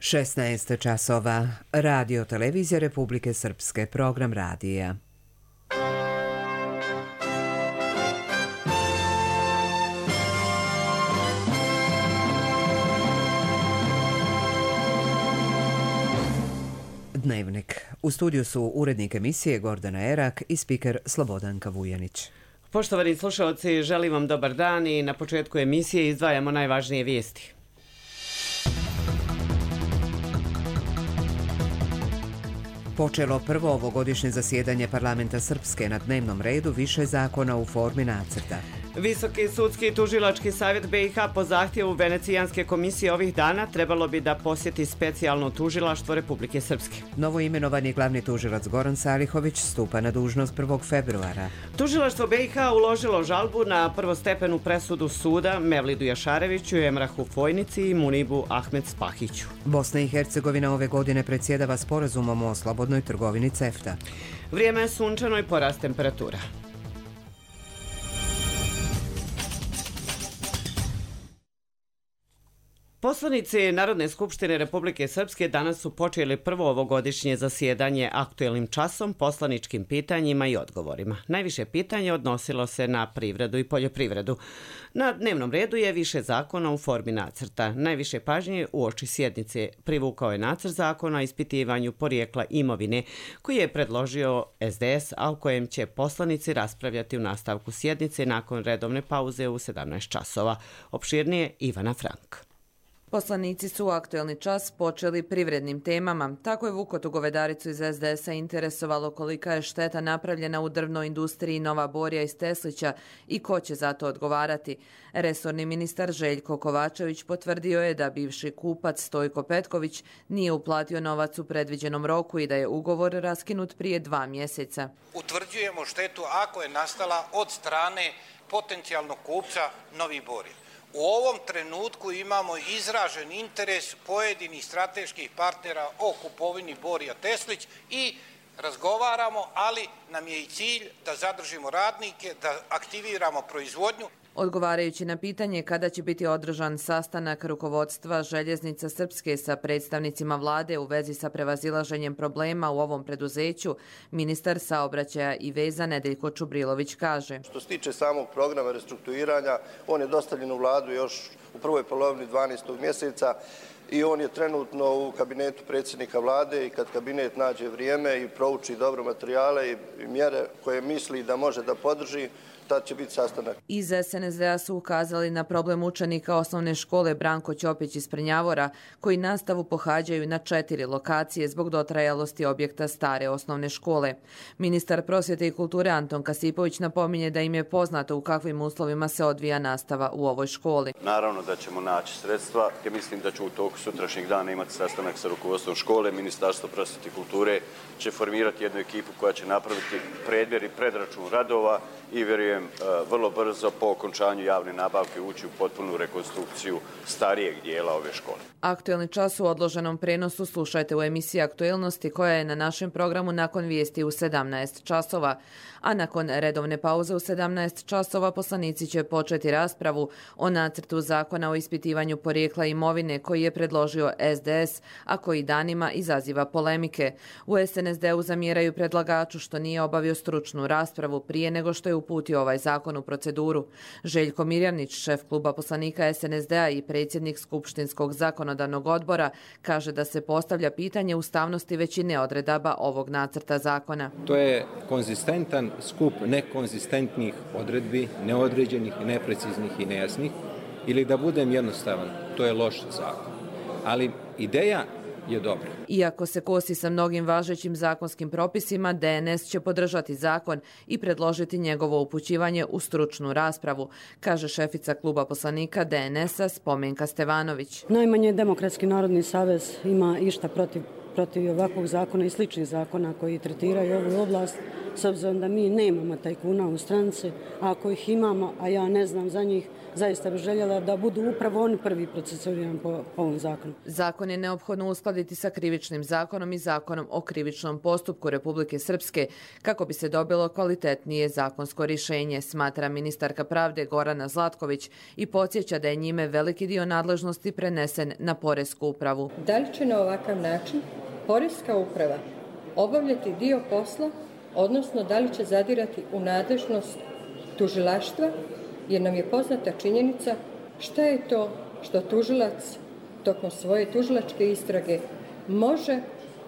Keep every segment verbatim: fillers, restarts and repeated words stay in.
šesnaest časova. Radio Televizija Republike Srpske. Program radija. Dnevnik. U studiju su urednik emisije Gordana Erak i spiker Slobodanka Vujanić. Poštovani slušalci, želim vam dobar dan i na početku emisije izdvajamo najvažnije vijesti. Počelo prvo ovogodišnje zasjedanje parlamenta Srpske, na dnevnom redu više zakona u formi nacrta. Visoki sudski i tužilački savjet B i H po zahtjevu Venecijanske komisije ovih dana trebalo bi da posjeti specijalno tužilaštvo Republike Srpske. Novoimenovani glavni tužilac Goran Salihović stupa na dužnost prvog februara. Tužilaštvo B i H uložilo žalbu na prvostepenu presudu suda Mevlidu Jašareviću, Emrahu Fojnici i Munibu Ahmed Spahiću. Bosna i Hercegovina ove godine predsjedava sporazumom o slobodnoj trgovini CEFTA. Vrijeme je sunčano i porast temperatura. Poslanici Narodne skupštine Republike Srpske danas su počeli prvo ovogodišnje zasjedanje aktuelnim časom, poslaničkim pitanjima i odgovorima. Najviše pitanje odnosilo se na privredu i poljoprivredu. Na dnevnom redu je više zakona u formi nacrta. Najviše pažnje uoči sjednice privukao je nacrt zakona o ispitivanju porijekla imovine koji je predložio S D S, a o kojem će poslanici raspravljati u nastavku sjednice nakon redovne pauze u sedamnaest časova. Opširnije Ivana Frank. Poslanici su u aktuelni čas počeli privrednim temama. Tako je Vukotu Govedaricu iz S D S-a interesovalo kolika je šteta napravljena u drvnoj industriji Nova Borja iz Teslića i ko će za to odgovarati. Resorni ministar Željko Kovačević potvrdio je da bivši kupac Stojko Petković nije uplatio novac u predviđenom roku i da je ugovor raskinut prije dva mjeseca. Utvrđujemo štetu ako je nastala od strane potencijalnog kupca Novi Borja. U ovom trenutku imamo izražen interes pojedinih strateških partnera o kupovini Borja Teslić i razgovaramo, ali nam je i cilj da zadržimo radnike, da aktiviramo proizvodnju. Odgovarajući na pitanje kada će biti održan sastanak rukovodstva Željeznica Srpske sa predstavnicima vlade u vezi sa prevazilaženjem problema u ovom preduzeću, ministar saobraćaja i veza Nedeljko Čubrilović kaže. Što se tiče samog programa restrukturiranja, on je dostavljen u vladu još u prvoj polovini dvanaestog mjeseca i on je trenutno u kabinetu predsjednika vlade i kad kabinet nađe vrijeme i prouči dobro materijale i mjere koje misli da može da podrži, tad će biti sastanak. Iz S N S D-a su ukazali na problem učenika osnovne škole Branko Ćopić iz Prnjavora, koji nastavu pohađaju na četiri lokacije zbog dotrajalosti objekta stare osnovne škole. Ministar prosvjete i kulture Anton Kasipović napominje da im je poznato u kakvim uslovima se odvija nastava u ovoj školi. Naravno da ćemo naći sredstva. Ja mislim da ću u toku sutrašnjeg dana imati sastanak sa rukovodstvom škole. Ministarstvo prosvjete i kulture će formirati jednu ekipu koja će napraviti predmjer i predračun radova i vjerujem vrlo brzo po okončanju javne nabavke ući u potpunu rekonstrukciju starijeg dijela ove škole. Aktuelni čas u odloženom prenosu slušajte u emisiji Aktuelnosti koja je na našem programu nakon vijesti u sedamnaest časova. A nakon redovne pauze u sedamnaest časova poslanici će početi raspravu o nacrtu zakona o ispitivanju porijekla imovine koji je predložio S D S, a koji danima izaziva polemike. U S N S D-u zamjeraju predlagaču što nije obavio stručnu raspravu prije nego što je uputio ovaj zakon u proceduru. Željko Mirjanić, šef kluba poslanika S N S D-a i predsjednik Skupštinskog zakonodavnog odbora, kaže da se postavlja pitanje ustavnosti većine odredaba ovog nacrta zakona. To je konzistentan skup nekonzistentnih odredbi, neodređenih, nepreciznih i nejasnih, ili da budem jednostavan, to je loš zakon. Ali ideja je dobro. Iako se kosi sa mnogim važećim zakonskim propisima, D N S će podržati zakon i predložiti njegovo upućivanje u stručnu raspravu, kaže šefica kluba poslanika D N S-a Spomenka Stevanović. Najmanje Demokratski narodni savez ima išta protiv protiv ovakvog zakona i sličnih zakona koji tretiraju ovu oblast, s obzirom da mi nemamo tajkuna u stranci, a ako ih imamo, a ja ne znam za njih, zaista bih željela da budu upravo oni prvi procesuirani po, po ovom zakonu. Zakon je neophodno uskladiti sa krivičnim zakonom i zakonom o krivičnom postupku Republike Srpske kako bi se dobilo kvalitetnije zakonsko rješenje, smatra ministarka pravde Gorana Zlatković i podsjeća da je njime veliki dio nadležnosti prenesen na Poresku upravu. Da li će na ovakav način Poreska uprava obavljati dio posla, odnosno da li će zadirati u nadležnost tužilaštva, jer nam je poznata činjenica šta je to što tužilac tokom svoje tužilačke istrage može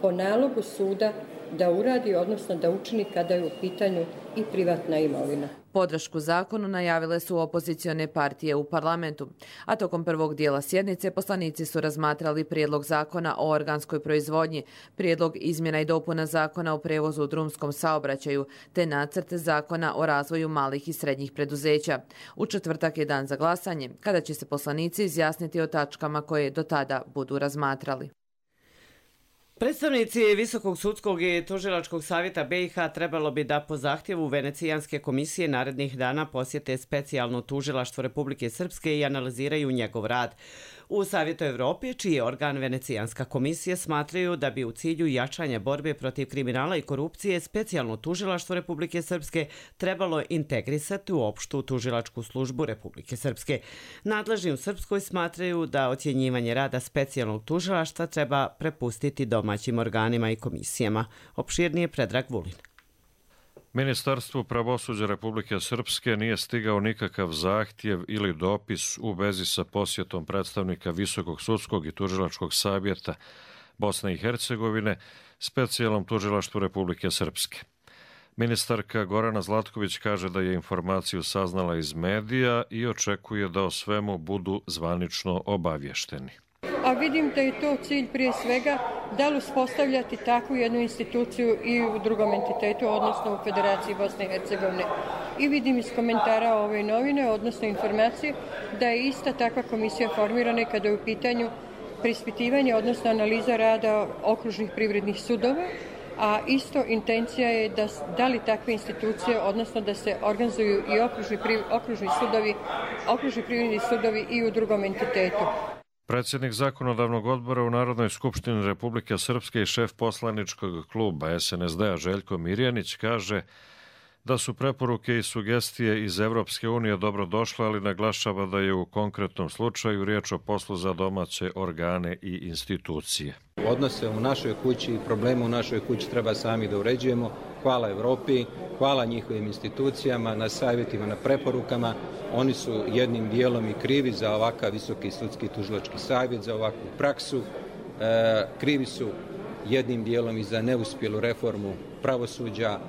po nalogu suda da uradi, odnosno da učini kada je u pitanju i privatna imovina. Podršku zakonu najavile su opozicione partije u parlamentu, a tokom prvog dijela sjednice poslanici su razmatrali prijedlog zakona o organskoj proizvodnji, prijedlog izmjena i dopuna zakona o prevozu u drumskom saobraćaju, te nacrt zakona o razvoju malih i srednjih preduzeća. U četvrtak je dan za glasanje, kada će se poslanici izjasniti o tačkama koje do tada budu razmatrali. Predstavnici Visokog sudskog i tužilačkog savjeta B i H trebalo bi da po zahtjevu Venecijanske komisije narednih dana posjete specijalno tužilaštvo Republike Srpske i analiziraju njegov rad. U Savjetu Evrope, čiji je organ Venecijanska komisija, smatraju da bi u cilju jačanja borbe protiv kriminala i korupcije specijalno tužilaštvo Republike Srpske trebalo integrisati u opštu tužilačku službu Republike Srpske. Nadležni u Srpskoj smatraju da ocjenjivanje rada specijalnog tužilaštva treba prepustiti domaćim organima i komisijama. Opširnije Predrag Vulin. Ministarstvu pravosuđa Republike Srpske nije stigao nikakav zahtjev ili dopis u vezi sa posjetom predstavnika Visokog sudskog i tužilačkog savjeta Bosne i Hercegovine specijalnom tužilaštvu Republike Srpske. Ministarka Gorana Zlatković kaže da je informaciju saznala iz medija i očekuje da o svemu budu zvanično obavješteni. A vidim da je to cilj prije svega da li uspostavljati takvu jednu instituciju i u drugom entitetu, odnosno u Federaciji Bosne i Hercegovine. I vidim iz komentara ove novine, odnosno informacije, da je ista takva komisija formirana kada je u pitanju preispitivanje, odnosno analiza rada okružnih privrednih sudova, a isto intencija je da, da li takve institucije, odnosno da se organizuju i okružni, okružni sudovi, okružni privredni sudovi i u drugom entitetu. Predsjednik Zakonodavnog odbora u Narodnoj skupštini Republike Srpske i šef poslaničkog kluba S N S D-a Željko Mirjanić kaže da su preporuke i sugestije iz Evropske unije dobro došle, ali naglašava da je u konkretnom slučaju riječ o poslu za domaće organe i institucije. Odnose u našoj kući i probleme u našoj kući treba sami da uređujemo. Hvala Evropi, hvala njihovim institucijama, na savjetima, na preporukama. Oni su jednim dijelom i krivi za ovakav Visoki sudski tužilački savjet, za ovakvu praksu. E, krivi su jednim dijelom i za neuspjelu reformu pravosuđa.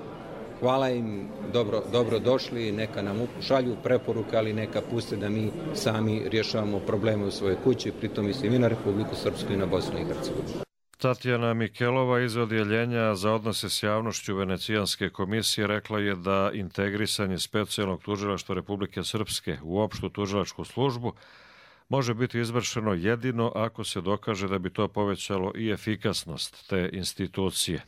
Hvala im, dobro, dobro došli, neka nam šalju preporuke, ali neka puste da mi sami rješavamo probleme u svojoj kući, pritom mislim i na Republiku Srpsku i na Bosnu i Hercegovinu. Tatjana Mikelova iz Odjeljenja za odnose s javnošću Venecijanske komisije rekla je da integrisanje specijalnog tužilaštva Republike Srpske u opštu tužilačku službu može biti izvršeno jedino ako se dokaže da bi to povećalo i efikasnost te institucije.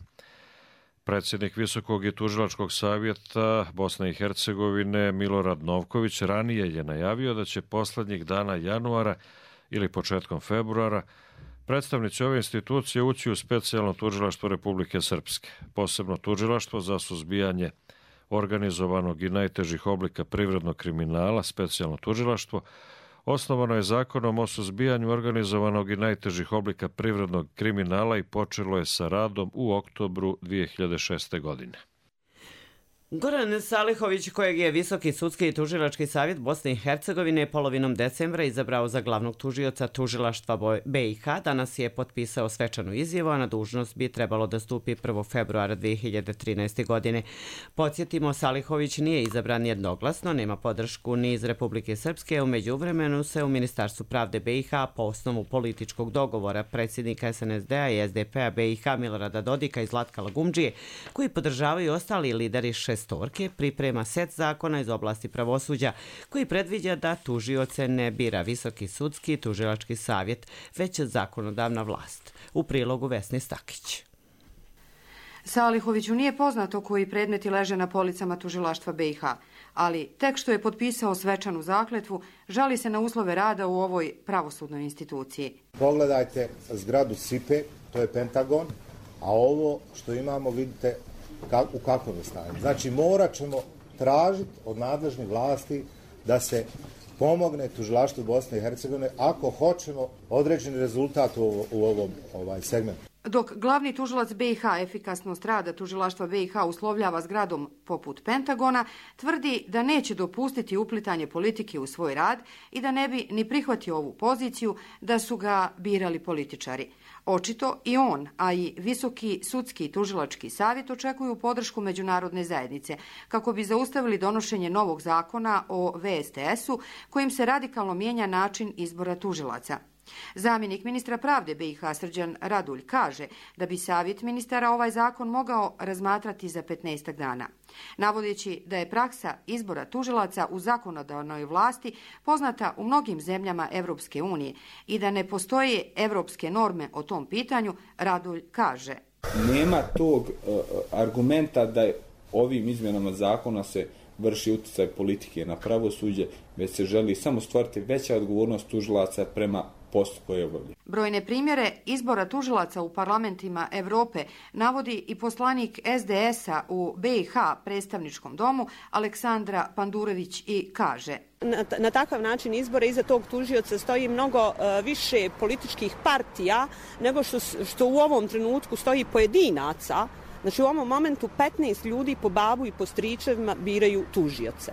Predsjednik Visokog i tužilačkog savjeta Bosne i Hercegovine Milorad Novković ranije je najavio da će poslednjih dana januara ili početkom februara predstavnici ove institucije ući u specijalno tužilaštvo Republike Srpske, posebno tužilaštvo za suzbijanje organizovanog i najtežih oblika privrednog kriminala, specijalno tužilaštvo, osnovano je zakonom o suzbijanju organizovanog i najtežih oblika privrednog kriminala i počelo je sa radom u oktobru dvije hiljade šeste. godine. Goran Salihović, kojeg je Visoki sudski i tužilački savjet Bosne i Hercegovine polovinom decembra izabrao za glavnog tužioca tužilaštva B i H, danas je potpisao svečanu izjavu, a na dužnost bi trebalo da stupi prvog februara dvije hiljade trinaeste. godine. Podsjetimo, Salihović nije izabran jednoglasno, nema podršku ni iz Republike Srpske, u međuvremenu se u Ministarstvu pravde B i H po osnovu političkog dogovora predsjednika S N S D-a i S D P-a B i H Milorada Dodika i Zlatka Lagumdžije, koji podržavaju ostali lideri šest šestorke priprema set zakona iz oblasti pravosuđa koji predviđa da tužioce ne bira Visoki sudski i tužilački savjet, već zakonodavna vlast. U prilogu Vesni Stakić. Salihoviću nije poznato koji predmeti leže na policama tužilaštva B i H, ali tek što je potpisao svečanu zakletvu, žali se na uslove rada u ovoj pravosudnoj instituciji. Pogledajte zgradu S I P E, to je Pentagon, a ovo što imamo vidite u kakvom je stanju. Znači morat ćemo tražiti od nadležnih vlasti da se pomogne tužilaštvu Bosne i Hercegovine ako hoćemo određeni rezultat u, u ovom ovaj, segmentu. Dok glavni tužilac B i H efikasnost rada tužilaštva B i H uslovljava zgradom poput Pentagona, tvrdi da neće dopustiti uplitanje politike u svoj rad i da ne bi ni prihvatio ovu poziciju da su ga birali političari. Očito i on, a i Visoki sudski i tužilački savjet očekuju podršku međunarodne zajednice kako bi zaustavili donošenje novog zakona o V S T S-u kojim se radikalno mijenja način izbora tužilaca. Zamjenik ministra pravde B i H Srđan Radulj kaže da bi savjet ministara ovaj zakon mogao razmatrati za petnaestak dana. Navodeći da je praksa izbora tužilaca u zakonodavnoj vlasti poznata u mnogim zemljama Evropske unije i da ne postoje evropske norme o tom pitanju, Radulj kaže. Nema tog uh, argumenta da je ovim izmjenama zakona se vrši utjecaj politike na pravosuđe, već se želi samo stvoriti veća odgovornost tužilaca prema poslu koje obavlja. Brojne primjere izbora tužilaca u parlamentima Evrope navodi i poslanik S D S-a u B i H predstavničkom domu Aleksandra Pandurević i kaže. Na, na takav način izbora iza tog tužioca stoji mnogo uh, više političkih partija nego što, što u ovom trenutku stoji pojedinaca. Znači u ovom momentu petnaest ljudi po babu i po stričevima biraju tužioce.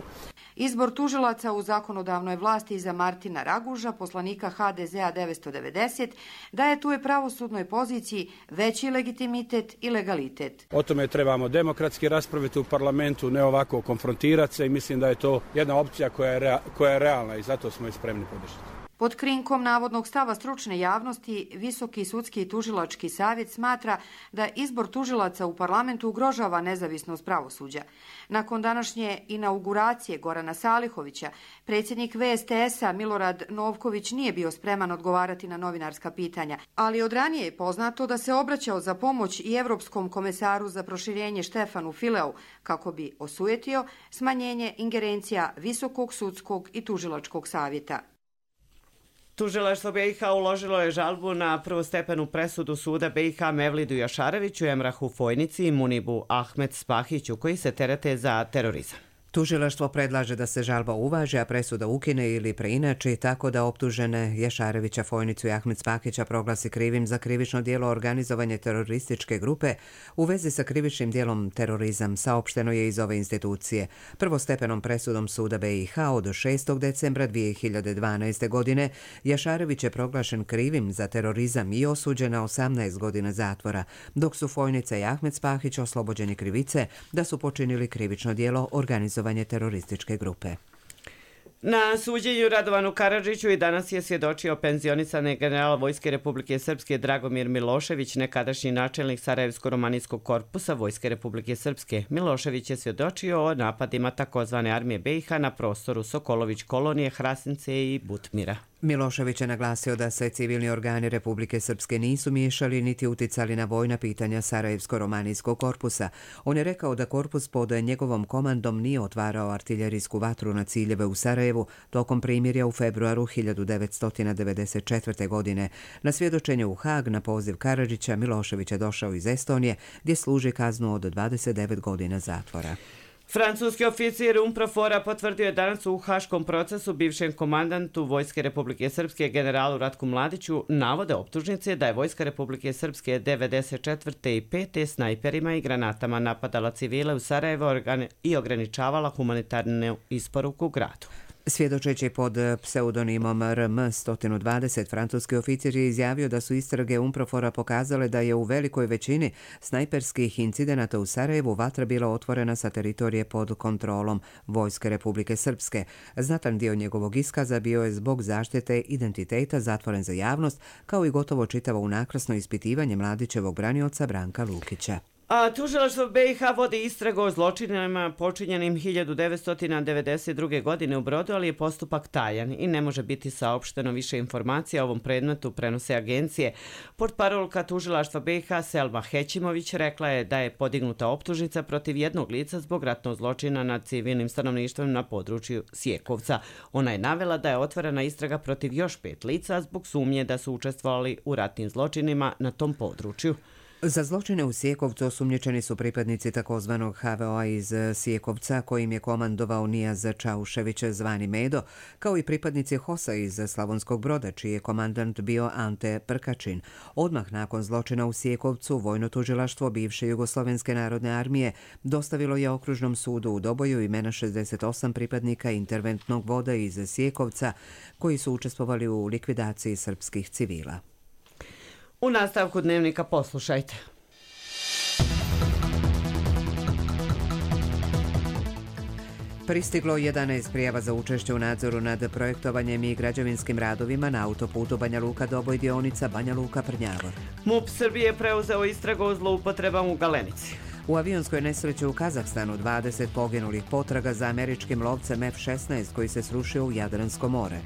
Izbor tužilaca u zakonodavnoj vlasti za Martina Raguža, poslanika H D Z-a devetsto devedeset, daje tu je pravosudnoj poziciji veći legitimitet i legalitet. O tome trebamo demokratski raspraviti u parlamentu, ne ovako konfrontirati se i mislim da je to jedna opcija koja je, rea, koja je realna i zato smo je spremni podržati. Pod krinkom navodnog stava stručne javnosti, Visoki sudski i tužilački savjet smatra da izbor tužilaca u parlamentu ugrožava nezavisnost pravosuđa. Nakon današnje inauguracije Gorana Salihovića, predsjednik V S T S-a Milorad Novković nije bio spreman odgovarati na novinarska pitanja, ali od ranije je poznato da se obraćao za pomoć i Evropskom komesaru za proširenje Štefanu Fileu kako bi osujetio smanjenje ingerencija Visokog sudskog i tužilačkog savjeta. Tužilaštvo B i H uložilo je žalbu na prvostepenu presudu suda B i H Mevlidu Jašareviću, Emrahu Fojnici i Munibu Ahmed Spahiću, koji se terete za terorizam. Tužilaštvo predlaže da se žalba uvaži, a presuda ukine ili preinači tako da optužene Jašarevića, Fojnicu i Ahmed Spahića proglasi krivim za krivično djelo organizovanje terorističke grupe u vezi sa krivičnim djelom terorizam, saopšteno je iz ove institucije. Prvostepenom presudom suda B i H od šestog decembra dvije hiljade dvanaeste. godine Jašarević je proglašen krivim za terorizam i osuđen na osamnaest godina zatvora, dok su Fojnica i Ahmed Spahić oslobođeni krivice da su počinili krivično djelo organizovanje terorističke grupe. Na suđenju Radovanu Karadžiću i danas je svjedočio penzionisani general Vojske Republike Srpske Dragomir Milošević, nekadašnji načelnik Sarajevsko-romanijskog korpusa Vojske Republike Srpske. Milošević je svjedočio o napadima takozvane armije B i H na prostoru Sokolović kolonije, Hrasnice i Butmira. Milošević je naglasio da se civilni organi Republike Srpske nisu miješali niti uticali na vojna pitanja Sarajevsko-romanijskog korpusa. On je rekao da korpus pod njegovom komandom nije otvarao artiljerijsku vatru na ciljeve u Sarajevu tokom primirja u februaru hiljadu devetsto devedeset četvrte. godine. Na svjedočenje u Hag na poziv Karadžića Milošević je došao iz Estonije gdje služi kaznu od dvadeset devet godina zatvora. Francuski oficir UNPROFOR-a potvrdio je danas u haškom procesu bivšem komandantu Vojske Republike Srpske generalu Ratku Mladiću navode optužnice da je Vojska Republike Srpske devedeset četvrte i pete snajperima i granatama napadala civile u Sarajevo i ograničavala humanitarnu isporuku u gradu. Svjedočeći pod pseudonimom R M sto dvadeset, francuski oficir je izjavio da su istrage UNPROFOR-a pokazale da je u velikoj većini snajperskih incidenata u Sarajevu vatra bila otvorena sa teritorije pod kontrolom Vojske Republike Srpske. Znatan dio njegovog iskaza bio je zbog zaštite identiteta zatvoren za javnost, kao i gotovo čitavo unakrasno ispitivanje Mladićevog branioca Branka Lukića. A tužilaštvo be i ha vodi istragu o zločinima počinjenim hiljadu devetsto devedeset druge. godine u Brodu, ali je postupak tajan i ne može biti saopšteno više informacija o ovom predmetu, prenose agencije. Portparolka tužilaštva be i ha Selma Hećimović rekla je da je podignuta optužnica protiv jednog lica zbog ratnog zločina nad civilnim stanovništvom na području Sjekovca. Ona je navela da je otvorena istraga protiv još pet lica zbog sumnje da su učestvovali u ratnim zločinima na tom području. Za zločine u Sjekovcu osumnjičeni su pripadnici takozvanog ha ve o-a iz Sjekovca, kojim je komandovao Nijaz Čaušević zvani Medo, kao i pripadnici hos-a iz Slavonskog Broda, čiji je komandant bio Ante Prkačin. Odmah nakon zločina u Sjekovcu, vojno tužilaštvo bivše Jugoslovenske narodne armije dostavilo je okružnom sudu u Doboju imena šezdeset osam pripadnika interventnog voda iz Sjekovca, koji su učestvovali u likvidaciji srpskih civila. U nastavku dnevnika poslušajte. Pristiglo jedanaest prijava za učešće u nadzoru nad projektovanjem i građevinskim radovima na autoputu Banja Luka Doboj dionica Banja Luka Prnjavor. MUP Srbije preuzeo istragu o zloupotrebama u Galenici. U avionskoj nesreći u Kazahstanu dvadeset poginulih, potraga za američkim lovcem ef šesnaest koji se srušio u Jadransko more.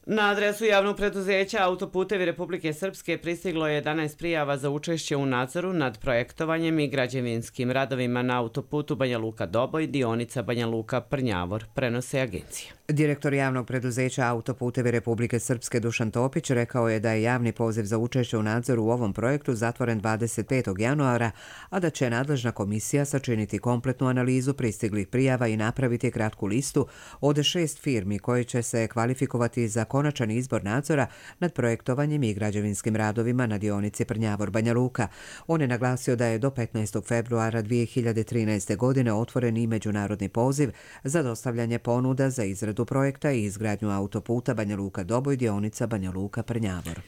Na adresu javnog preduzeća Autoputevi Republike Srpske pristiglo je jedanaest prijava za učešće u nadzoru nad projektovanjem i građevinskim radovima na autoputu Banja Luka Doboj, dionica Banja Luka Prnjavor, prenose agencije. Direktor javnog preduzeća Autoputevi Republike Srpske Dušan Topić rekao je da je javni poziv za učešće u nadzoru u ovom projektu zatvoren dvadeset petog januara, a da će nadležna komisija sačiniti kompletnu analizu pristiglih prijava i napraviti kratku listu od šest firmi koje će se kvalifikovati za konačan izbor nadzora nad projektovanjem i građevinskim radovima na dionici Prnjavor Banja Luka. On je naglasio da je do petnaestog februara dvije hiljade trinaeste. godine otvoren i međunarodni poziv za dostavljanje ponuda za izradu projekta i izgradnju autoputa Banja Luka Doboj dionica Banja Luka Prnjavor.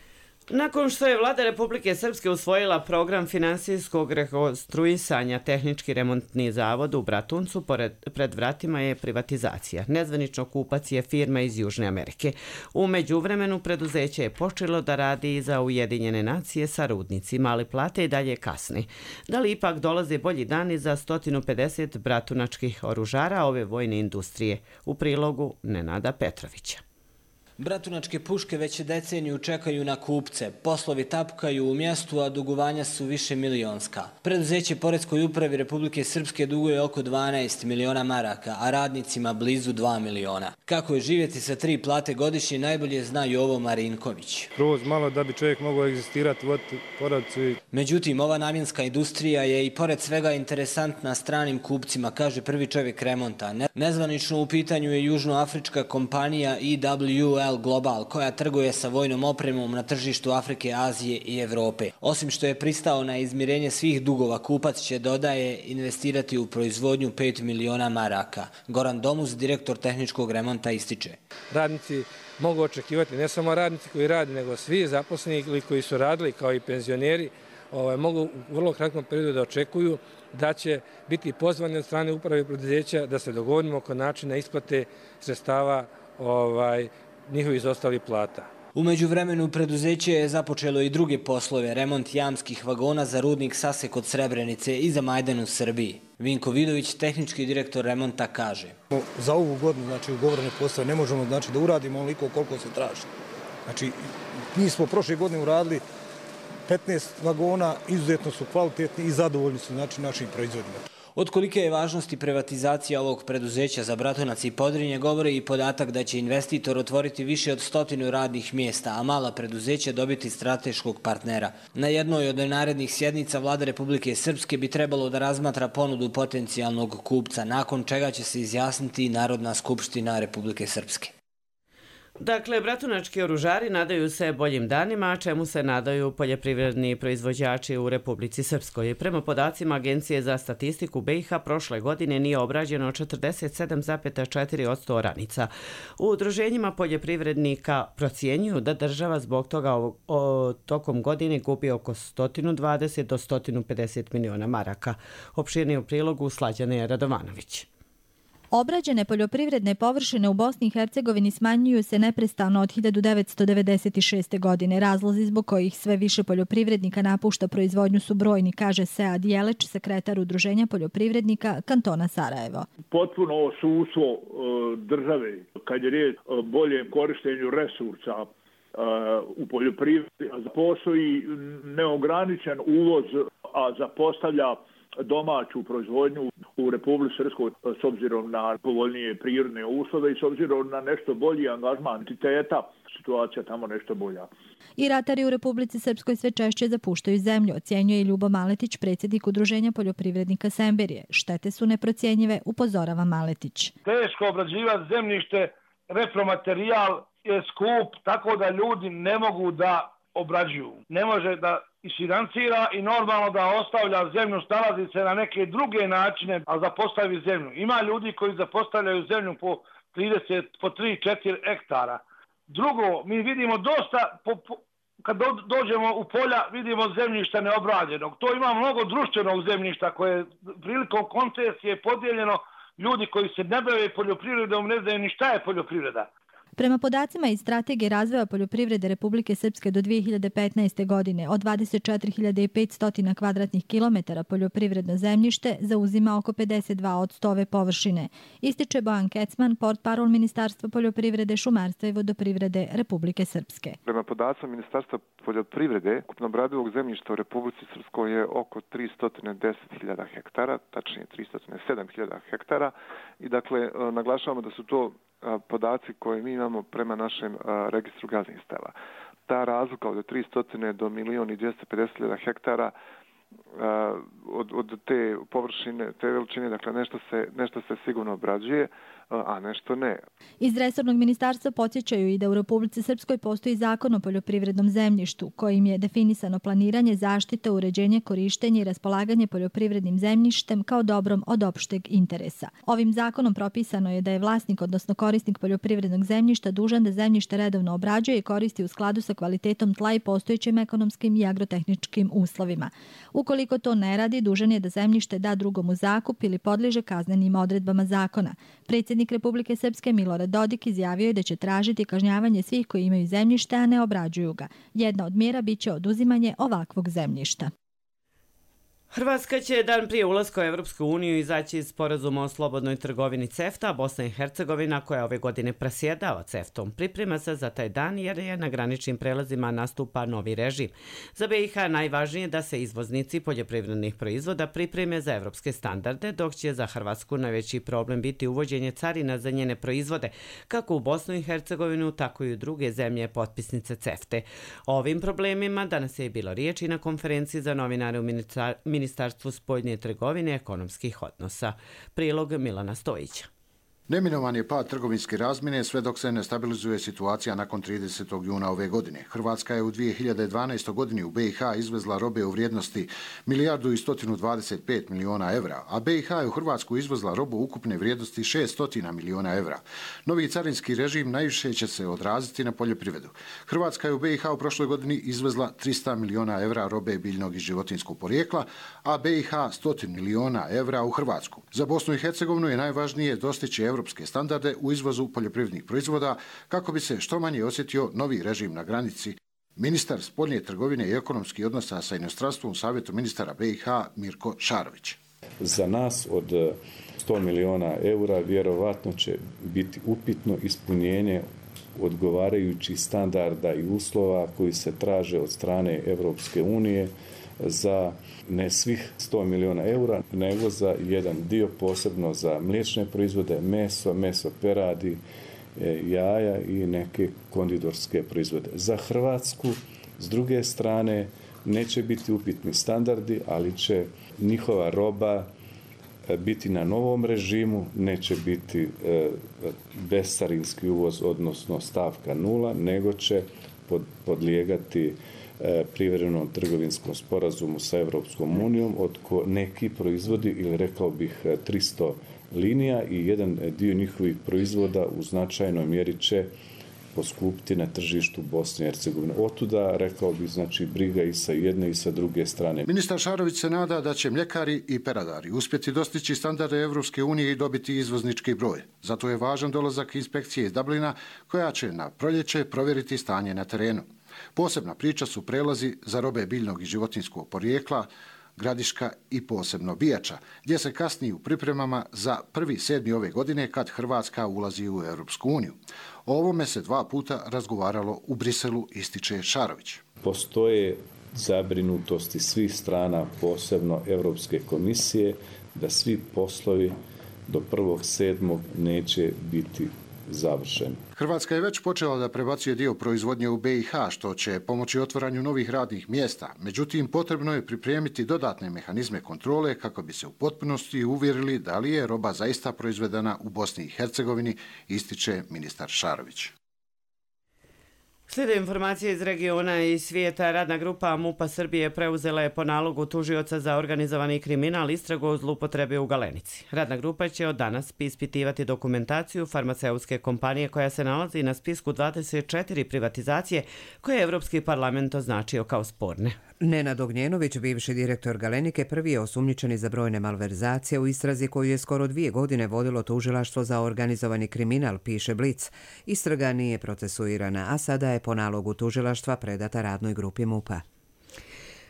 Nakon što je Vlada Republike Srpske usvojila program finansijskog rekonstruisanja tehnički remontni zavod u Bratuncu, pored, pred vratima je privatizacija. Nezvanično kupac je firma iz Južne Amerike. U međuvremenu preduzeće je počelo da radi za Ujedinjene nacije sa rudnicima, ali plate i dalje kasni. Da li ipak dolaze bolji dani za sto pedeset bratunačkih oružara ove vojne industrije? U prilogu Nenada Petrovića. Bratunačke puške već deceniju čekaju na kupce. Poslovi tapkaju u mjestu, a dugovanja su više milionska. Preduzeće Poreskoj upravi Republike Srpske duguje oko dvanaest miliona maraka, a radnicima blizu dva miliona. Kako je živjeti sa tri plate godišnje, najbolje zna Jovo Marinković. Kroz malo da bi čovjek mogao egzistirati u porodcu. Međutim, ova namjenska industrija je i pored svega interesantna stranim kupcima, kaže prvi čovjek remonta. Nezvanično u pitanju je južnoafrička kompanija i W L Global, koja trguje sa vojnom opremom na tržištu Afrike, Azije i Evrope. Osim što je pristao na izmirenje svih dugova, kupac će, dodaje, investirati u proizvodnju pet miliona maraka. Goran Domuz, direktor tehničkog remonta, ističe. Radnici mogu očekivati, ne samo radnici koji radi, nego svi zaposleni ili koji su radili kao i penzioneri, ovaj, mogu u vrlo kratkom periodu da očekuju da će biti pozvani od strane uprave preduzeća da se dogovorimo oko načina isplate sredstava ovaj, njihovi izostali plata. U međuvremenu preduzeće je započelo i druge poslove, remont jamskih vagona za rudnik Sase kod Srebrenice i za Majdan u Srbiji. Vinko Vidović, tehnički direktor remonta, kaže. Za ovu godinu, znači ugovorene poslove, ne možemo znači, da uradimo onoliko koliko se traži. Znači, mi smo prošle godine uradili petnaest vagona, izuzetno su kvalitetni i zadovoljni su znači, našim proizvodima. Od kolike je važnosti privatizacija ovog preduzeća za Bratunac i Podrinje govori i podatak da će investitor otvoriti više od stotinu radnih mjesta, a mala preduzeća dobiti strateškog partnera. Na jednoj od narednih sjednica Vlada Republike Srpske bi trebalo da razmatra ponudu potencijalnog kupca, nakon čega će se izjasniti Narodna skupština Republike Srpske. Dakle, bratunački oružari nadaju se boljim danima, a čemu se nadaju poljoprivredni proizvođači u Republici Srpskoj. Prema podacima Agencije za statistiku be i ha, prošle godine nije obrađeno četrdeset sedam zarez četiri posto oranica. U udruženjima poljoprivrednika procjenjuju da država zbog toga o, o, tokom godine gubi oko sto dvadeset do sto pedeset miliona maraka. Opširnije u prilogu Slađane Radovanović. Obrađene poljoprivredne površine u Bosni i Hercegovini smanjuju se neprestano od hiljadu devetsto devedeset šeste. godine. Razlozi zbog kojih sve više poljoprivrednika napušta proizvodnju su brojni, kaže Sead Jeleć, sekretar Udruženja poljoprivrednika kantona Sarajevo. Potpuno osustvo države kad je riječ o boljem korištenju resursa u poljoprivredi. Postoji neograničen uvoz, a zapostavlja domaću proizvodnju u Republici Srpskoj s obzirom na povoljnije prirodne uslove i s obzirom na nešto bolji angažman entiteta, situacija tamo nešto bolja. I ratari u Republici Srpskoj sve češće zapuštaju zemlju, ocjenjuje i Ljubo Maletić, predsjednik Udruženja poljoprivrednika Semberije. Štete su neprocjenjive, upozorava Maletić. Teško obrađivati zemljište, repromaterijal je skup, tako da ljudi ne mogu da obrađuju. Ne može da isfinancira i normalno da ostavlja zemlju, snalazi se na neke druge načine, a zapostavi zemlju. Ima ljudi koji zapostavljaju zemlju po trideset, po tri četiri hektara. Drugo, mi vidimo dosta, po, po, kad do, dođemo u polja, vidimo zemljišta neobrađenog. To ima mnogo društvenog zemljišta koje je prilikom koncesije podijeljeno. Ljudi koji se ne bave poljoprivredom ne znaju ni šta je poljoprivreda. Prema podacima iz Strategije razvoja poljoprivrede Republike Srpske do dvije hiljade petnaeste. godine od dvadeset četiri hiljade petsto kvadratnih kilometara poljoprivredno zemljište zauzima oko pedeset dva posto ove površine. Ističe Bojan Kecman, portparol Ministarstva poljoprivrede, šumarstva i vodoprivrede Republike Srpske. Prema podacima Ministarstva poljoprivrede, ukupno obradivog zemljišta u Republici Srpskoj je oko tristo deset hiljada hektara, tačnije tristo sedam hiljada hektara i dakle naglašavamo da su to podaci koje mi imamo prema našem registru gazdinstava. Ta razlika od tristo do milion i dvjesto pedeset hiljada hektara od, od te površine, te veličine, dakle nešto se, nešto se sigurno obrađuje, a nešto ne. Iz resornog ministarstva podsjećaju i da u Republici Srpskoj postoji zakon o poljoprivrednom zemljištu, kojim je definisano planiranje, zaštita, uređenje, korištenje i raspolaganje poljoprivrednim zemljištem kao dobrom od opšteg interesa. Ovim zakonom propisano je da je vlasnik, odnosno korisnik poljoprivrednog zemljišta dužan da zemljište redovno obrađuje i koristi u skladu sa kvalitetom tla i postojećim ekonomskim i agrotehničkim uslovima. Ukoliko to ne radi, dužan je da zemljište da drugom u zakup ili podliježe kaznenim odredbama zakona. Predsjednik Republike Srpske Milorad Dodik izjavio je da će tražiti kažnjavanje svih koji imaju zemljište, a ne obrađuju ga. Jedna od mjera biće oduzimanje ovakvog zemljišta. Hrvatska će dan prije ulaska u Evropsku uniju izaći iz sporazuma o slobodnoj trgovini CEFTA, a Bosna i Hercegovina, koja ove godine presjedava CEFTA-om, priprema se za taj dan jer je na graničnim prelazima nastupa novi režim. Za B i H najvažnije je da se izvoznici poljoprivrednih proizvoda pripreme za evropske standarde, dok će za Hrvatsku najveći problem biti uvođenje carina za njene proizvode, kako u Bosnu i Hercegovinu, tako i u druge zemlje potpisnice CEFTA-e. O ovim problemima danas je bilo riječi na konferenciji za novinare u ministarstvu Ministarstvu spoljne trgovine i ekonomskih odnosa. Prilog Milana Stojića. Neminovan je pad trgovinske razmjene sve dok se ne stabilizuje situacija nakon tridesetog juna ove godine. Hrvatska je u dvije hiljade dvanaestoj. godini u B i H izvezla robe u vrijednosti milijardu i sto dvadeset pet miliona evra, a B i H je u Hrvatsku izvezla robu ukupne vrijednosti šeststo miliona evra. Novi carinski režim najviše će se odraziti na poljoprivredu. Hrvatska je u B i H u prošloj godini izvezla tristo miliona evra robe biljnog i životinjskog porijekla, a B i H sto miliona evra u Hrvatsku. Za Bosnu i Hercegovinu je najvažnije dostići evropske standarde u izvozu poljoprivrednih proizvoda kako bi se što manje osjetio novi režim na granici. Ministar spoljne trgovine i ekonomskih odnosa sa inostranstvom u Savjetu ministara B i H Mirko Šarović. Za nas od sto miliona eura vjerovatno će biti upitno ispunjenje odgovarajućih standarda i uslova koji se traže od strane Evropske unije za ne svih sto miliona eura, nego za jedan dio posebno za mliječne proizvode, meso, meso peradi, jaja i neke konditorske proizvode. Za Hrvatsku, s druge strane, neće biti upitni standardi, ali će njihova roba biti na novom režimu, neće biti bescarinski uvoz, odnosno stavka nula, nego će podlijegati privremenom trgovinskom sporazumu sa Evropskom unijom od ko neki proizvodi, ili rekao bih tristo linija, i jedan dio njihovih proizvoda u značajnoj mjeri će poskupiti na tržištu Bosne i Hercegovine. Otuda, rekao bih, znači, briga i sa jedne i sa druge strane. Ministar Šarović se nada da će mljekari i peradari uspjeti dostići standarde Evropske unije i dobiti izvoznički broj. Zato je važan dolazak inspekcije iz Dublina, koja će na proljeće provjeriti stanje na terenu. Posebna priča su prelazi za robe biljnog i životinjskog porijekla, Gradiška i posebno Bijača, gdje se kasni u pripremama za prvi sedmi ove godine kad Hrvatska ulazi u Europsku uniju. O ovome se dva puta razgovaralo u Briselu, ističe Šarović. Postoje zabrinutosti svih strana, posebno Europske komisije, da svi poslovi do prvog sedmog neće biti završen. Hrvatska je već počela da prebacuje dio proizvodnje u be i ha, što će pomoći otvaranju novih radnih mjesta. Međutim, potrebno je pripremiti dodatne mehanizme kontrole kako bi se u potpunosti uvjerili da li je roba zaista proizvedena u Bosni i Hercegovini, ističe ministar Šarović. Slijede informacije iz regiona i svijeta. Radna grupa MUP-a Srbije preuzela je po nalogu tužioca za organizovani kriminal istragu o zloupotrebi u Galenici. Radna grupa će od danas ispitivati dokumentaciju farmaceutske kompanije koja se nalazi na spisku dvadeset četiri privatizacije koje je Evropski parlament označio kao sporne. Nenad Ognjenović, bivši direktor Galenike, prvi je osumnjičeni za brojne malverzacije u istrazi koju je skoro dvije godine vodilo tužilaštvo za organizovani kriminal, piše Blic. Istraga nije procesuirana, a sada je po nalogu tužilaštva predata radnoj grupi MUP-a.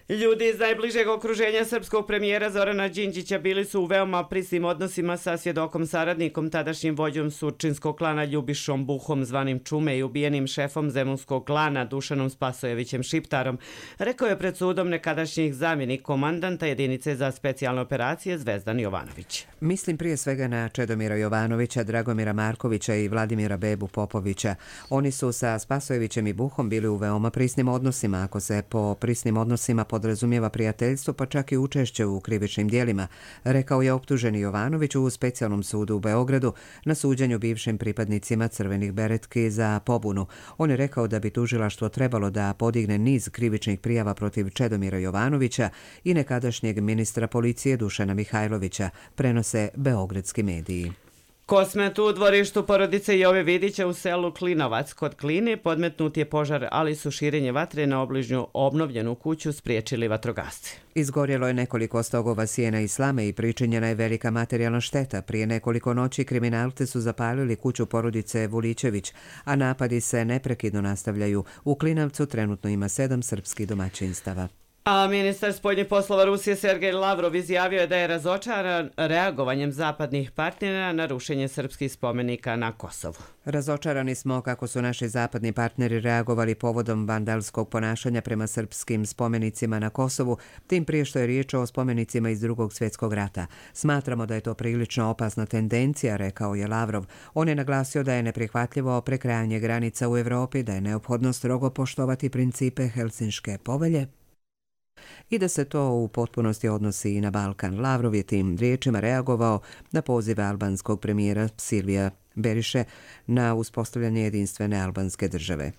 Ljudi iz najbližeg okruženja srpskog premijera Zorana Đinđića bili su u veoma prisnim odnosima sa svjedokom saradnikom, tadašnjim vođom surčinskog klana Ljubišom Buhom, zvanim Čume, i ubijenim šefom zemunskog klana Dušanom Spasojevićem Šiptarom, rekao je pred sudom nekadašnjih zamjenik komandanta jedinice za specijalne operacije Zvezdan Jovanović. Mislim prije svega na Čedomira Jovanovića, Dragomira Markovića i Vladimira Bebu Popovića. Oni su sa Spasojevićem i Buhom bili u veoma prisnim odnosima. Ako se po prisnim odnosima podrazumijeva prijateljstvo, pa čak i učešće u krivičnim dijelima, rekao je optuženi Jovanović u specijalnom sudu u Beogradu na suđenju bivšim pripadnicima crvenih beretki za pobunu. On je rekao da bi tužilaštvo trebalo da podigne niz krivičnih prijava protiv Čedomira Jovanovića i nekadašnjeg ministra policije Dušana Mihajlovića, prenose beogradski mediji. Kosmet u dvorištu porodice Jove Vidića u selu Klinovac kod Kline podmetnut je požar, ali su širenje vatre na obližnju obnovljenu kuću spriječili vatrogasci. Izgorjelo je nekoliko stogova sjena i slame i pričinjena je velika materijalna šteta. Prije nekoliko noći kriminalci su zapalili kuću porodice Vulićević, a napadi se neprekidno nastavljaju. U Klinovcu trenutno ima sedam srpskih domaćinstava. A ministar spoljnih poslova Rusije Sergej Lavrov izjavio je da je razočaran reagovanjem zapadnih partnera na rušenje srpskih spomenika na Kosovu. Razočarani smo kako su naši zapadni partneri reagovali povodom vandalskog ponašanja prema srpskim spomenicima na Kosovu, tim prije što je riječ o spomenicima iz Drugog svjetskog rata. Smatramo da je to prilično opasna tendencija, rekao je Lavrov. On je naglasio da je neprihvatljivo prekrajanje granica u Evropi, da je neophodno strogo poštovati principe Helsinške povelje i da se to u potpunosti odnosi i na Balkan. Lavrov je tim riječima reagovao na pozive albanskog premijera Silvija Beriše na uspostavljanje jedinstvene albanske države.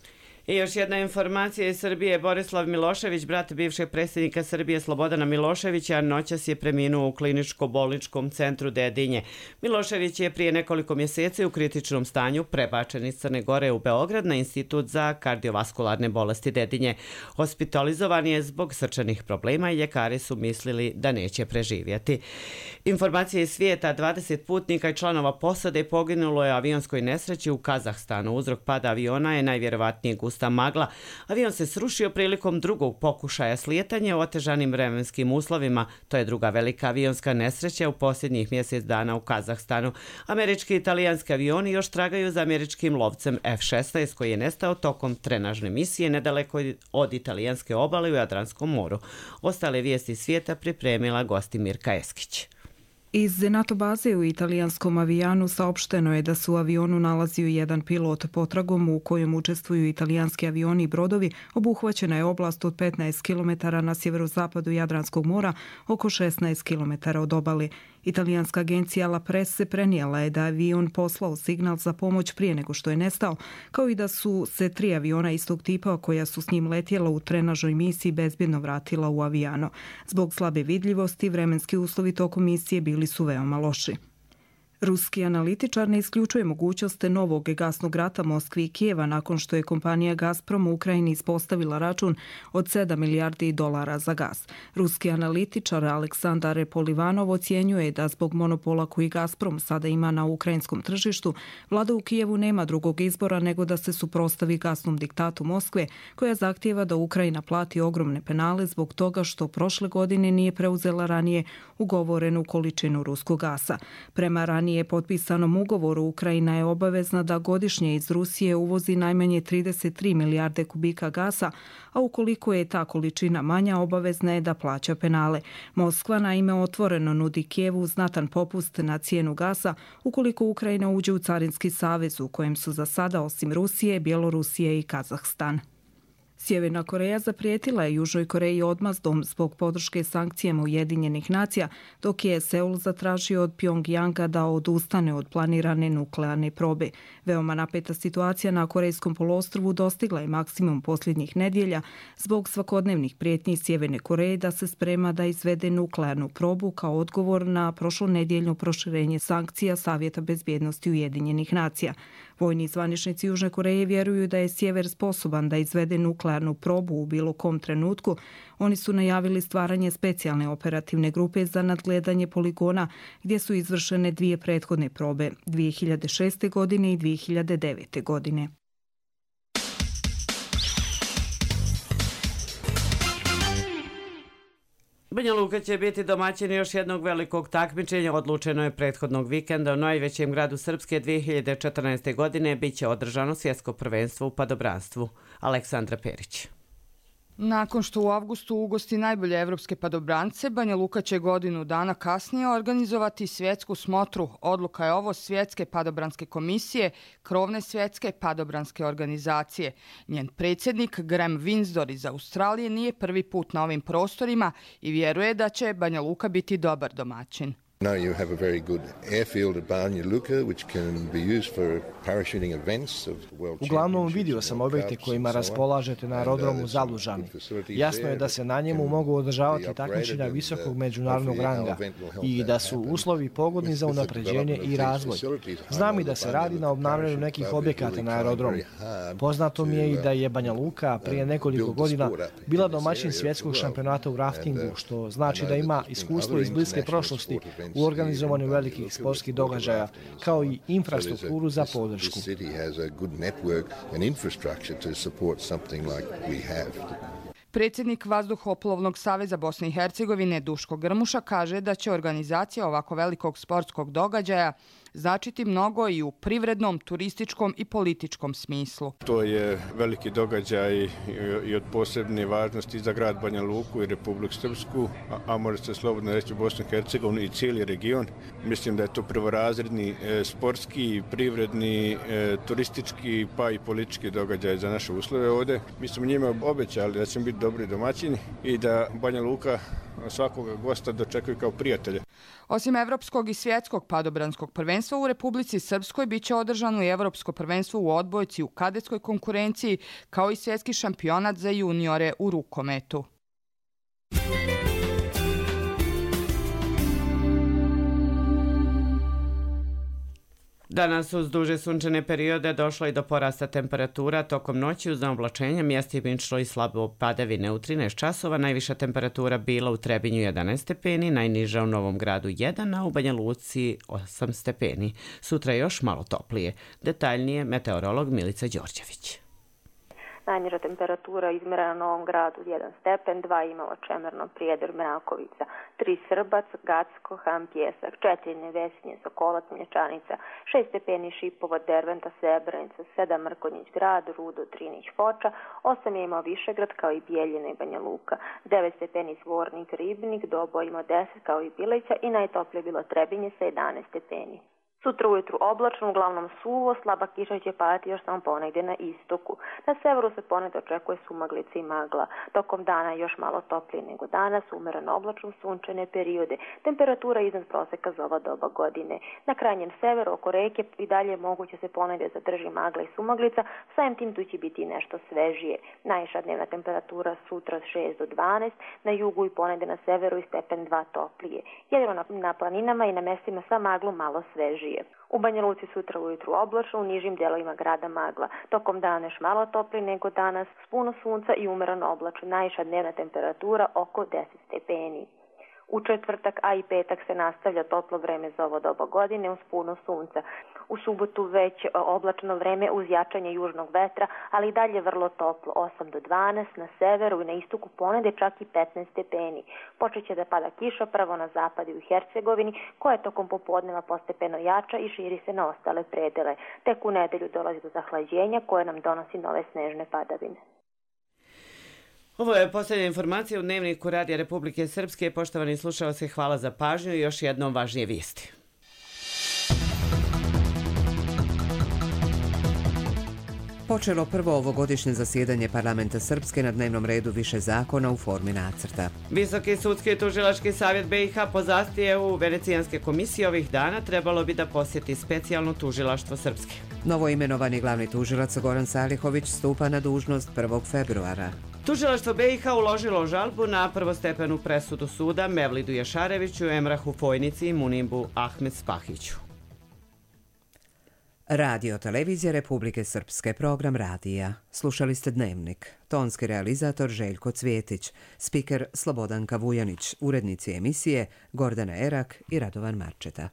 I još jedna informacija iz Srbije. Borislav Milošević, brat bivšeg predsjednika Srbije Slobodana Miloševića, noćas je preminuo u kliničko-bolničkom centru Dedinje. Milošević je prije nekoliko mjeseci u kritičnom stanju prebačen iz Crne Gore u Beograd na Institut za kardiovaskularne bolesti Dedinje. Hospitalizovan je zbog srčanih problema i ljekari su mislili da neće preživjeti. Informacije iz svijeta. dvadeset putnika i članova posade poginulo je u avionskoj nesreći u Kazahstanu. Uzrok pada aviona je najvjerovatnije gusta magla. Avion se srušio prilikom drugog pokušaja slijetanja u otežanim vremenskim uslovima. To je druga velika avionska nesreća u posljednjih mjesec dana u Kazahstanu. Američki i italijanski avioni još tragaju za američkim lovcem F šesnaest koji je nestao tokom trenažne misije nedaleko od italijanske obale u Jadranskom moru. Ostale vijesti svijeta pripremila Gostimirka Eskić. Iz NATO baze u italijanskom avijanu saopšteno je da se u avionu nalazio jedan pilot. Potragom u kojem učestvuju italijanski avioni i brodovi obuhvaćena je oblast od petnaest kilometara na sjeverozapadu Jadranskog mora, oko šesnaest kilometara od obale. Italijanska agencija La Presse prenijela je da avion poslao signal za pomoć prije nego što je nestao, kao i da su se tri aviona istog tipa koja su s njim letjela u trenažnoj misiji bezbjedno vratila u avijano. Zbog slabe vidljivosti vremenski uslovi tokom misije bili su veoma loši. Ruski analitičar ne isključuje mogućnost novog gasnog rata Moskvi i Kijeva nakon što je kompanija Gazprom u Ukrajini ispostavila račun od sedam milijardi dolara za gas. Ruski analitičar Aleksandar Polivanov ocjenjuje da zbog monopola koji Gazprom sada ima na ukrajinskom tržištu, vlada u Kijevu nema drugog izbora nego da se suprotstavi gasnom diktatu Moskve, koja zahtijeva da Ukrajina plati ogromne penale zbog toga što prošle godine nije preuzela ranije ugovorenu količinu ruskog gasa. Prema ranije potpisanom ugovoru, Ukrajina je obavezna da godišnje iz Rusije uvozi najmanje trideset tri milijarde kubika gasa, a ukoliko je ta količina manja, obavezna je da plaća penale. Moskva naime otvoreno nudi Kijevu znatan popust na cijenu gasa ukoliko Ukrajina uđe u carinski savez u kojem su za sada osim Rusije, Bjelorusije i Kazahstan. Sjeverna Koreja zaprijetila je Južnoj Koreji odmazdom zbog podrške sankcijama Ujedinjenih nacija, dok je Seul zatražio od Pjongjanga da odustane od planirane nuklearne probe. Veoma napeta situacija na Korejskom poluostrvu dostigla je maksimum posljednjih nedjelja zbog svakodnevnih prijetnji Sjeverne Koreje da se sprema da izvede nuklearnu probu kao odgovor na prošlonedjeljno proširenje sankcija Savjeta bezbjednosti Ujedinjenih nacija. Vojni zvaničnici Južne Koreje vjeruju da je sjever sposoban da izvede nuklearnu probu u bilo kom trenutku. Oni su najavili stvaranje specijalne operativne grupe za nadgledanje poligona gdje su izvršene dvije prethodne probe, dvije hiljade šeste. godine i dvije hiljade devete. godine. Banja Luka će biti domaćin još jednog velikog takmičenja. Odlučeno je prethodnog vikenda u najvećem gradu Srpske dvije hiljade četrnaeste. godine bit će održano svjetsko prvenstvo u padobranstvu. Aleksandra Perić. Nakon što u avgustu ugosti najbolje evropske padobrance, Banja Luka će godinu dana kasnije organizovati svjetsku smotru. Odluka je ovo Svjetske padobranske komisije, krovne svjetske padobranske organizacije. Njen predsjednik Graham Winsdor iz Australije nije prvi put na ovim prostorima i vjeruje da će Banja Luka biti dobar domaćin. No, you have a very good airfield at Banja Luka, which can be used for parachuting events of world. Uglavnom vidio sam objekte kojima raspolažete na aerodromu Zalužani. Jasno je da se na njemu mogu održavati takmičenja visokog međunarodnog ranga i da su uslovi pogodni za unapređenje i razvoj. Znam i da se radi na obnavljanju nekih objekata na aerodromu. Poznato mi je i da je Banja Luka prije nekoliko godina bila domaćin svjetskog šampionata u raftingu, što znači da ima iskustvo iz bliske prošlosti u organizovanju velikih sportskih događaja, kao i infrastrukturu za podršku. Predsjednik Vazduhoplovnog saveza Bosne i Hercegovine Duško Grmuša kaže da će organizacija ovako velikog sportskog događaja značiti mnogo i u privrednom, turističkom i političkom smislu. To je veliki događaj i od posebne važnosti za grad Banja Luku i Republiku Srpsku, a, a može se slobodno reći Bosnu i Hercegovinu i cijeli region. Mislim da je to prvorazredni e, sportski, privredni, e, turistički pa i politički događaj za naše uslove ovdje. Mi smo njima obećali da ćemo biti dobri domaćini i da Banja Luka svakoga gosta dočekuju kao prijatelje. Osim evropskog i svjetskog padobranskog prvenstva u Republici Srpskoj biće održano i evropsko prvenstvo u odbojci u kadetskoj konkurenciji, kao i svjetski šampionat za juniore u rukometu. Danas uz duže sunčane periode došlo i do porasta temperatura. Tokom noći uz oblačenja mjestimično i slabo padavine u trinaest časova. Najviša temperatura bila u Trebinju jedanaest stepeni, najniža u Novom Gradu jedan, a u Banja Luci osam stepeni. Sutra još malo toplije. Detaljnije meteorolog Milica Đorđević. Najniža temperatura izmjerena na Novom Gradu jedan stepen, dva Imala, Čemerno, Prijedor, Mrakovica, tri Srbac, Gacko, Ham, Pjesak, četiri Nevesinje, Sokolac, Mlječanica, šest stepeni Šipova, Derventa, Srebrenica, sedam Mrkonjić Grad, Rudo, Trinić, Foča, osam je imao Višegrad kao i Bijeljina i Banja Luka, devet stepeni Zvornik, Ribnik, Dobo imao deset kao i Bileća i najtoplije bilo Trebinje sa jedanaest stepeni. Sutra ujutru oblačno, uglavnom suvo, slaba kiša će padati još samo ponegdje na istoku. Na severu se ponegdje očekuje sumaglica i magla. Tokom dana još malo toplije nego danas, umereno oblačno sunčane periode. Temperatura iznad proseka za ova doba godine. Na krajnjem severu oko reke i dalje moguće se ponegdje zadrži magla i sumaglica, samim tim tu će biti nešto svežije. Najviša dnevna temperatura sutra šest do dvanaest, na jugu i ponegdje na severu i stepen dva toplije. Jedino na, na planinama i na mjestima sa maglom malo svežije. U Banja Luci sutra ujutru oblačno, u nižim dijelovima grada magla. Tokom dana još malo toplije nego danas, s puno sunca i umereno oblačno. Najviša dnevna temperatura oko deset stepeni. U četvrtak, a i petak se nastavlja toplo vreme za ovo doba godine uz puno sunca. U subotu već oblačno vreme uz jačanje južnog vetra, ali i dalje vrlo toplo, osam do dvanaest, na severu i na istoku ponegdje čak i petnaest stepeni. Počet će da pada kiša prvo na zapadu i u Hercegovini, koja je tokom popodneva postepeno jača i širi se na ostale predele. Tek u nedelju dolazi do zahlađenja koje nam donosi nove snežne padavine. Ovo je posljednja informacija u Dnevniku Radija Republike Srpske. Poštovani slušalci, hvala za pažnju i još jednom važnije vijesti. Počelo prvo ovogodišnje zasjedanje parlamenta Srpske, na dnevnom redu više zakona u formi nacrta. Visoki sudski i tužilački savjet B i H po zahtjevu Venecijanske komisije ovih dana trebalo bi da posjeti specijalno tužilaštvo Srpske. Novo imenovani glavni tužilac Goran Salihović stupa na dužnost prvog februara. Tužilaštvo B i H uložilo žalbu na prvostepenu presudu suda Mevlidu Jašareviću, Emrahu Fojnici i Munibu Ahmed Spahiću. Radio Televizija Republike Srpske, program radija. Slušali ste Dnevnik. Tonski realizator Željko Cvjetić, spiker Slobodanka Vujanić, urednici emisije Gordana Erak i Radovan Marčeta.